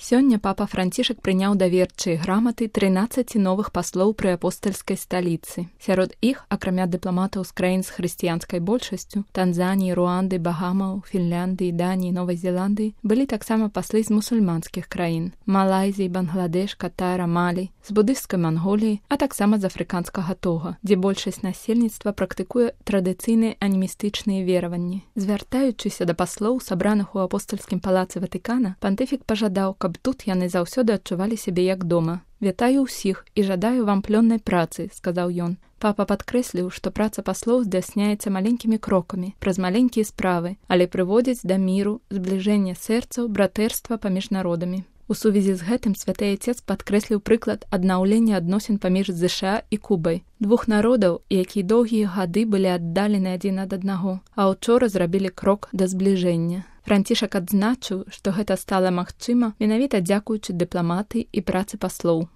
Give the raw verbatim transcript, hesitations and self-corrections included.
Сёння папа Францішак прыняў даверчыя граматы трынаццаці новых паслоў пры апостальскай сталіцы. Сярод іх, акрамя дыпламатаў з краін з хрысціянскай большасцю, Танзаніі, Руанды, Багамаў, Фінляндыі, Даніі, Новай Зеландыі, былі таксама паслы з мусульманскіх краін – Малайзіі, Бангладеш, Катара, Малі, з будысцкай Манголіі, а таксама з афрыканскага Тога, дзе большасць насельніцтва практыкуе традыцыйныя анімістычныя вераванні. Звяртаючыся да паслоў, сабраных у апостальскім палацы Ватыкана, пантыфік пажадаў, каб тут яны заўсёды адчувалі сябе як дома. «Вітаю ўсіх і жадаю вам плённай працы», – сказаў ён. Папа падкрэсліў, што праца паслоў здзяйсняецца маленькімі крокамі, праз маленькія справы, але прыводзіць да міру, збліжэння сэрцаў, братэрства паміж народамі. У сувязі з гэтым святы Айцец падкрэсліў прыклад аднаўлення адносін паміж ЗША і Кубай, двух народаў, якія доўгія гады былі аддалены адзін ад аднаго, а ўчора зрабілі крок да збліжэння. Францішак адзначыў, што гэта стала магчыма менавіта дзякуючы дыпламатыі і працы паслоў.